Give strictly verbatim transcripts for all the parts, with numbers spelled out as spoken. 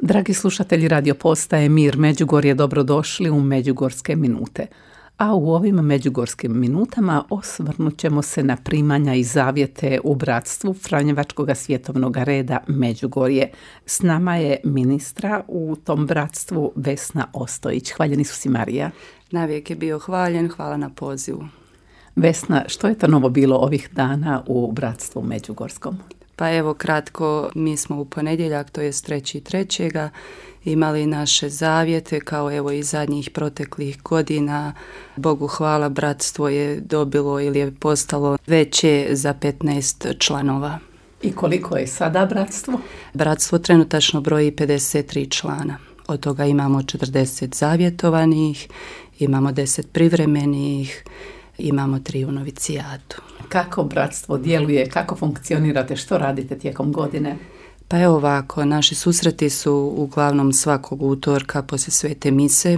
Dragi slušatelji radio postaje Mir Međugorje, dobrodošli u Međugorske minute. A u ovim Međugorskim minutama osvrnut ćemo se na primanja i zavjete u bratstvu Franjevačkog svjetovnog reda Međugorje. S nama je ministra u tom bratstvu Vesna Ostojić. Hvaljeni su si, Marija. Navijek je bio hvaljen, hvala na pozivu. Vesna, što je to novo bilo ovih dana u bratstvu Međugorskom? Pa evo kratko, mi smo u ponedjeljak, to je treći trećega imali naše zavjete kao evo i zadnjih proteklih godina. Bogu hvala, bratstvo je dobilo ili je postalo veće za petnaest članova. I koliko je sada bratstvo? Bratstvo trenutačno broji pedeset tri člana. Od toga imamo četrdeset zavjetovanih, imamo deset privremenih, imamo tri u novicijatu. Kako bratstvo djeluje, kako funkcionirate, što radite tijekom godine? Pa evo ovako, naši susreti su uglavnom svakog utorka poslije svete mise,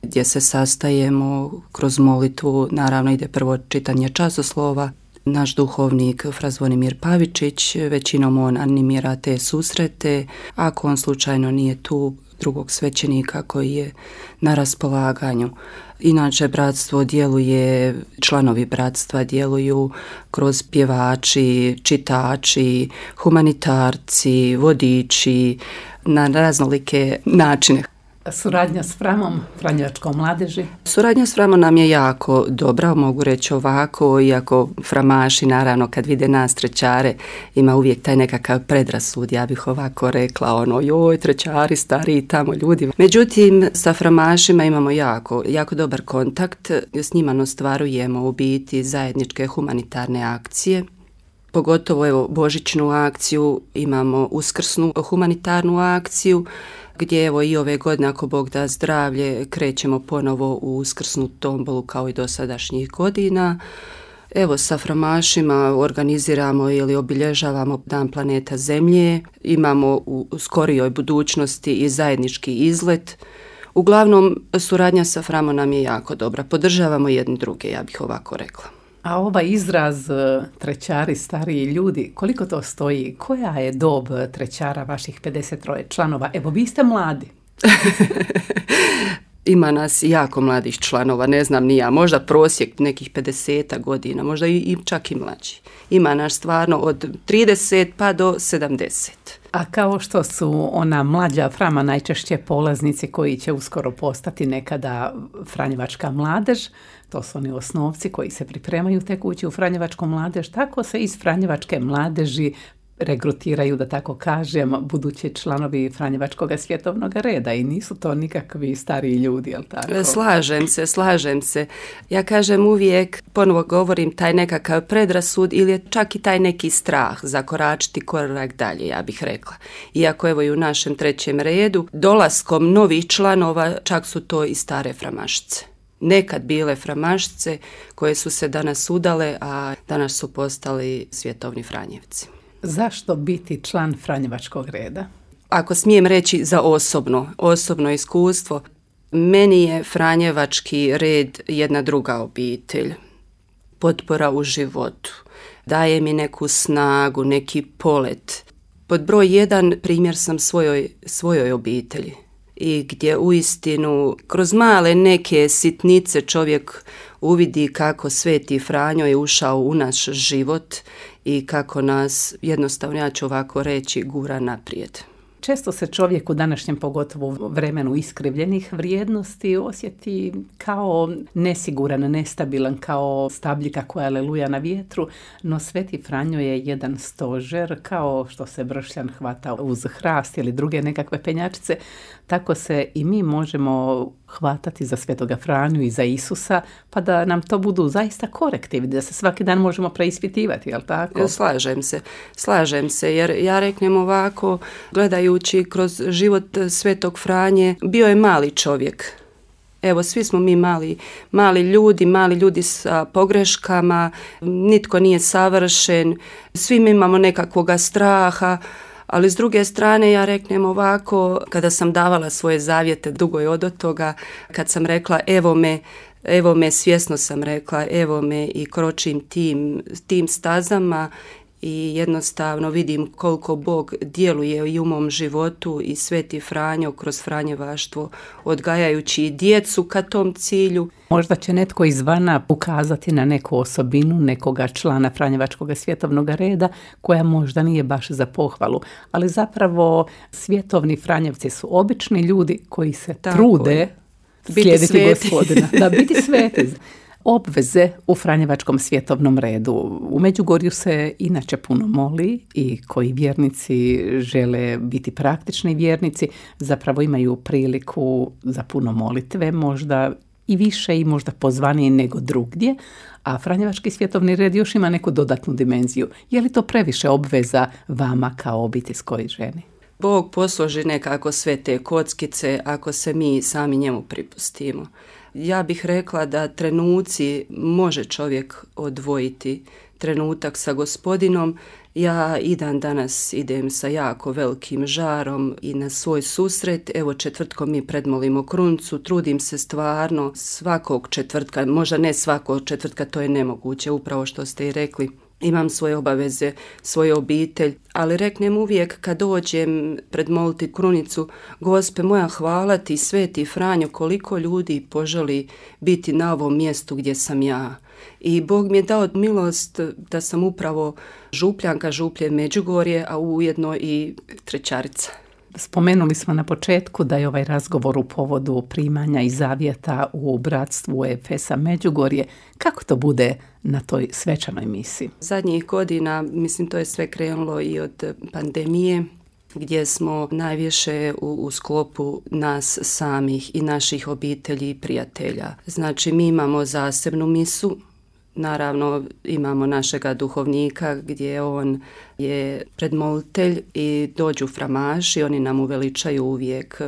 gdje se sastajemo kroz molitvu. Naravno ide prvo čitanje časoslova. Naš duhovnik Fra Zvonimir Pavičić, većinom on animira te susrete. Ako on slučajno nije tu, drugog svećenika koji je na raspolaganju. Inače, bratstvo djeluje, članovi bratstva djeluju kroz pjevači, čitači, humanitarci, vodiči, na raznolike načine. Suradnja s Framom, Franjevačkom mladeži? Suradnja s Framom nam je jako dobra, mogu reći ovako, iako framaši, naravno, kad vide nas trećare, ima uvijek taj nekakav predrasud, ja bih ovako rekla, ono, joj, trećari, stariji tamo ljudi. Međutim, sa framašima imamo jako, jako dobar kontakt, s njima ostvarujemo u biti zajedničke humanitarne akcije. Pogotovo, evo, božićnu akciju, imamo uskrsnu humanitarnu akciju, gdje evo i ove godine, ako Bog da zdravlje, krećemo ponovo u uskrsnu tombolu kao i dosadašnjih godina. Evo, sa framašima organiziramo ili obilježavamo Dan planeta Zemlje, imamo u skorijoj budućnosti i zajednički izlet. Uglavnom, suradnja sa Framom nam je jako dobra, podržavamo jedni druge, ja bih ovako rekla. A ovaj izraz trećari, stariji ljudi, koliko to stoji? Koja je dob trećara vaših pedeset tri članova? Evo, vi ste mladi. Ima nas jako mladih članova, ne znam ni ja, možda prosjek nekih pedeset godina, možda i, i čak i mlađi. Ima nas stvarno od trideset pa do sedamdeset. A kao što su ona mlađa Frama najčešće polaznici koji će uskoro postati nekada Franjevačka mladež, to su oni osnovci koji se pripremaju tek ući u Franjevačku mladež, tako se iz Franjevačke mladeži regrutiraju, da tako kažem, budući članovi Franjevačkog svjetovnog reda i nisu to nikakvi stariji ljudi, jel tako? Slažem se, slažem se. Ja kažem uvijek, ponovo govorim, taj nekakav predrasud ili je čak i taj neki strah zakoračiti korak dalje, ja bih rekla. Iako evo i u našem trećem redu, dolaskom novih članova, čak su to i stare framašice. Nekad bile framašice koje su se danas udale, a danas su postali svjetovni Franjevci. Zašto biti član Franjevačkog reda? Ako smijem reći za osobno, osobno iskustvo, meni je Franjevački red jedna druga obitelj, potpora u životu, daje mi neku snagu, neki polet. Pod broj jedan primjer sam svojoj, svojoj obitelji i gdje uistinu kroz male neke sitnice čovjek uvidi kako Sveti Franjo je ušao u naš život i kako nas, jednostavno ja ću ovako reći, gura naprijed. Često se čovjek u današnjem, pogotovo vremenu iskrivljenih vrijednosti, osjeti kao nesiguran, nestabilan, kao stabljika koja leluja na vjetru, no Sveti Franjo je jedan stožer, kao što se bršljan hvata uz hrast ili druge nekakve penjačice, tako se i mi možemo hvatati za Svetoga Franju i za Isusa, pa da nam to budu zaista korektivi, da se svaki dan možemo preispitivati, jel tako? Slažem se, slažem se, jer ja reknem ovako, gledajući kroz život Svetog Franje, bio je mali čovjek. Evo, svi smo mi mali, mali ljudi, mali ljudi sa pogreškama, nitko nije savršen, svi mi imamo nekakvoga straha, ali s druge strane ja reknem ovako, kada sam davala svoje zavjete, dugo je od toga, kad sam rekla evo me, evo me, svjesno sam rekla, evo me i kročim tim, tim stazama i jednostavno vidim koliko Bog djeluje i u mom životu i Sveti Franjo kroz franjevaštvo odgajajući djecu ka tom cilju. Možda će netko izvana ukazati na neku osobinu nekoga člana Franjevačkog svjetovnog reda koja možda nije baš za pohvalu, ali zapravo svjetovni Franjevci su obični ljudi koji se Tako trude je. slijediti sveti. Gospodina. Da, biti sveti. Obveze u Franjevačkom svjetovnom redu. U Međugorju se inače puno moli i koji vjernici žele biti praktični vjernici zapravo imaju priliku za puno molitve, možda i više i možda pozvaniji nego drugdje, a Franjevački svjetovni red još ima neku dodatnu dimenziju. Je li to previše obveza vama kao obiteljskoj ženi? Bog posloži nekako sve te kockice ako se mi sami njemu pripustimo. Ja bih rekla da trenuci može čovjek odvojiti trenutak sa Gospodinom. Ja i dan danas idem sa jako velikim žarom i na svoj susret. Evo četvrtkom mi predmolimo krunicu, trudim se stvarno svakog četvrtka, možda ne svakog četvrtka, to je nemoguće, upravo što ste i rekli. Imam svoje obaveze, svoju obitelj, ali reknem uvijek kad dođem predmoliti krunicu, Gospe moja, hvala ti, Sveti Franjo, koliko ljudi poželi biti na ovom mjestu gdje sam ja. I Bog mi je dao milost da sam upravo župljanka, župlje Međugorje, a ujedno i trećarica. Spomenuli smo na početku da je ovaj razgovor u povodu primanja i zavjeta u bratstvu Efesa Međugorje. Kako to bude na toj svečanoj misi? Zadnjih godina, mislim, to je sve krenulo i od pandemije, gdje smo najviše u, u sklopu nas samih i naših obitelji i prijatelja. Znači, mi imamo zasebnu misu. Naravno, imamo našega duhovnika gdje on je predmolitelj i dođu framaši, oni nam uveličaju uvijek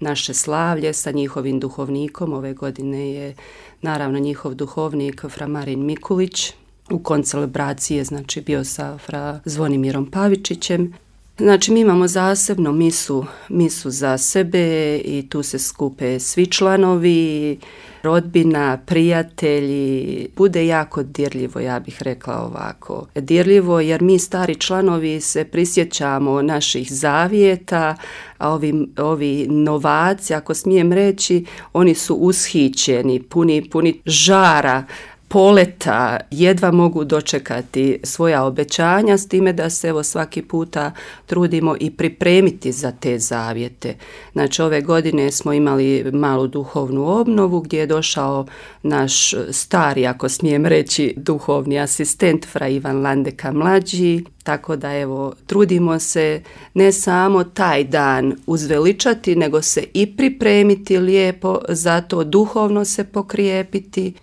naše slavlje sa njihovim duhovnikom. Ove godine je naravno njihov duhovnik fra Marin Mikulić. U koncelebraciji je znači bio sa fra Zvonimirom Pavičićem. Znači mi imamo zasebno misu, misu za sebe i tu se skupe svi članovi, rodbina, prijatelji. Bude jako dirljivo, ja bih rekla ovako. Dirljivo jer mi stari članovi se prisjećamo naših zavjeta, a ovi, ovi novaci, ako smijem reći, oni su ushićeni, puni, puni žara, poleta, jedva mogu dočekati svoja obećanja, s time da se evo svaki puta trudimo i pripremiti za te zavjete. Znači ove godine smo imali malu duhovnu obnovu gdje je došao naš stari, ako smijem reći, duhovni asistent fra Ivan Landeka mlađi, tako da evo trudimo se ne samo taj dan uzveličati, nego se i pripremiti lijepo, zato duhovno se pokrijepiti.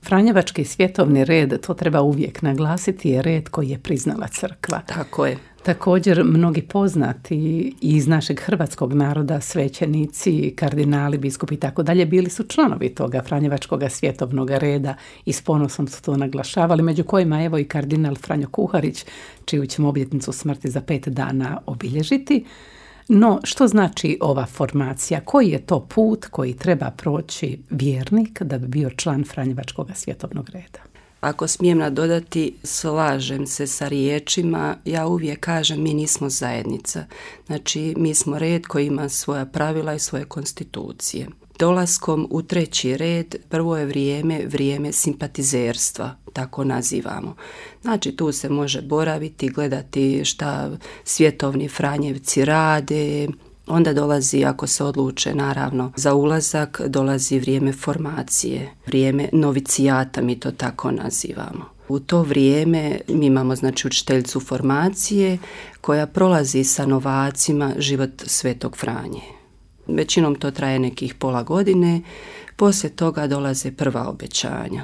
Franjevački svjetovni red, to treba uvijek naglasiti, je red koji je priznala crkva. Tako je. Također mnogi poznati iz našeg hrvatskog naroda, svećenici, kardinali, biskupi i tako dalje, bili su članovi toga Franjevačkog svjetovnog reda i s ponosom su to naglašavali, među kojima evo i kardinal Franjo Kuharić, čiju ćemo obljetnicu smrti za pet dana obilježiti. No, što znači ova formacija? Koji je to put koji treba proći vjernik da bi bio član Franjevačkog svjetovnog reda? Ako smijem nadodati, slažem se sa riječima, ja uvijek kažem mi nismo zajednica. Znači mi smo red koji ima svoja pravila i svoje konstitucije. Dolaskom u treći red prvo je vrijeme, vrijeme simpatizerstva, tako nazivamo. Znači tu se može boraviti, gledati šta svjetovni Franjevci rade. Onda dolazi, ako se odluče naravno za ulazak, dolazi vrijeme formacije, vrijeme novicijata, mi to tako nazivamo. U to vrijeme mi imamo znači učiteljicu formacije koja prolazi sa novacima život Svetog Franje. Većinom to traje nekih pola godine, poslije toga dolaze prva obećanja.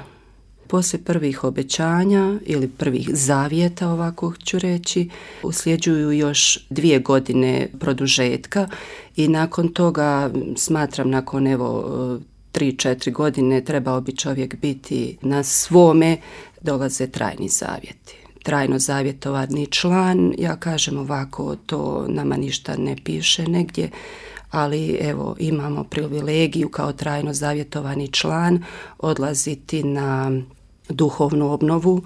Poslije prvih obećanja ili prvih zavjeta, ovako ću reći, usljeđuju još dvije godine produžetka i nakon toga, smatram nakon evo tri, četiri godine trebao bi čovjek biti na svome, dolaze trajni zavjeti. Trajno zavjetovani član, ja kažem ovako, to nama ništa ne piše negdje, ali evo imamo privilegiju kao trajno zavjetovani član odlaziti na duhovnu obnovu,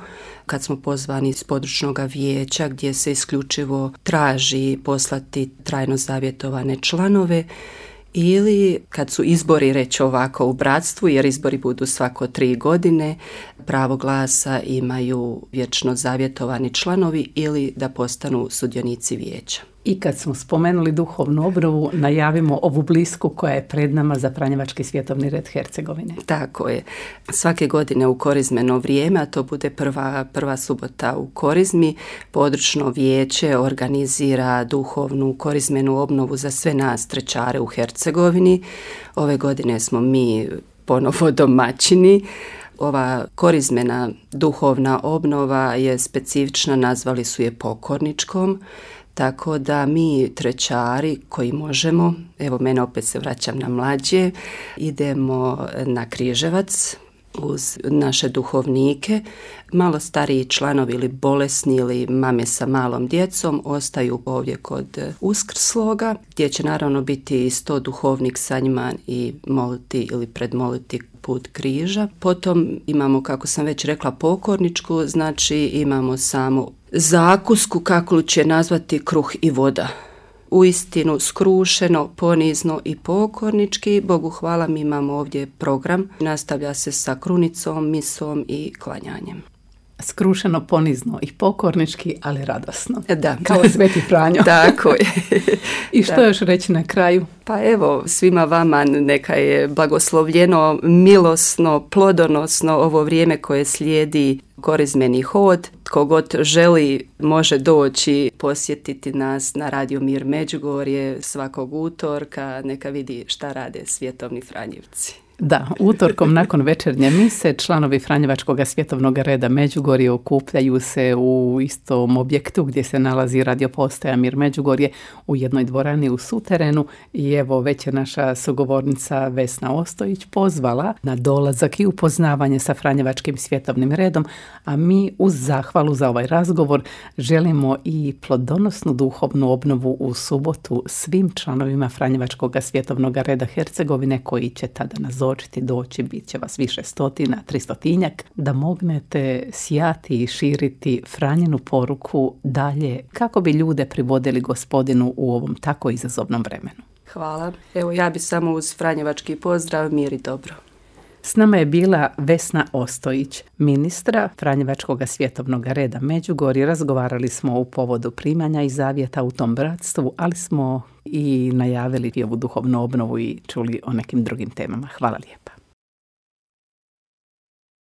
kad smo pozvani iz područnog vijeća gdje se isključivo traži poslati trajno zavjetovane članove, ili kad su izbori, reći ovako, u bratstvu, jer izbori budu svako tri godine, pravo glasa imaju vječno zavjetovani članovi ili da postanu sudionici vijeća. I kad smo spomenuli duhovnu obnovu, najavimo ovu blisku koja je pred nama za Franjevački svjetovni red Hercegovine. Tako je. Svake godine u korizmeno vrijeme, a to bude prva, prva subota u korizmi, područno vijeće organizira duhovnu korizmenu obnovu za sve nas trećare u Hercegovini. Ove godine smo mi ponovo domaćini. Ova korizmena duhovna obnova je specifična, nazvali su je pokorničkom. Tako da mi trećari koji možemo, evo mene opet se vraćam na mlađe, idemo na Križevac uz naše duhovnike. Malo stariji članovi ili bolesni ili mame sa malom djecom ostaju ovdje kod Uskrsloga, gdje će naravno biti sto duhovnik sa njima i moliti ili predmoliti put križa. Potom imamo, kako sam već rekla, pokorničku, znači imamo samo zakusku, kako će nazvati, kruh i voda. Uistinu skrušeno, ponizno i pokornički. Bogu hvala, mi imamo ovdje program. Nastavlja se sa krunicom, misom i klanjanjem. Skrušeno, ponizno i pokornički, ali radosno. Da. Kao Sveti Franjo. Tako je. I što da. Još reći na kraju? Pa evo, svima vama neka je blagoslovljeno, milosno, plodonosno ovo vrijeme koje slijedi korizmeni hod. Tko god želi može doći posjetiti nas na Radio Mir Međugorje svakog utorka, neka vidi šta rade svjetovni Franjevci. Da, utorkom nakon večernje mise članovi Franjevačkog svjetovnog reda Međugorje okupljaju se u istom objektu gdje se nalazi radio postaja Mir Međugorje u jednoj dvorani u suterenu i evo već je naša sugovornica Vesna Ostojić pozvala na dolazak i upoznavanje sa Franjevačkim svjetovnim redom, a mi uz zahvalu za ovaj razgovor želimo i plodonosnu duhovnu obnovu u subotu svim članovima Franjevačkog svjetovnog reda Hercegovine koji će tada nazvati očiti doći, bit će vas više stotina, tristotinjak, da mognete sjati i širiti Franjinu poruku dalje kako bi ljude privodili Gospodinu u ovom tako izazovnom vremenu. Hvala. Evo ja bi samo uz franjevački pozdrav, mir i dobro. S nama je bila Vesna Ostojić, ministra Franjevačkog svjetovnog reda Međugorje. Razgovarali smo u povodu primanja i zavjeta u tom bratstvu, ali smo i najavili i ovu duhovnu obnovu i čuli o nekim drugim temama. Hvala lijepa.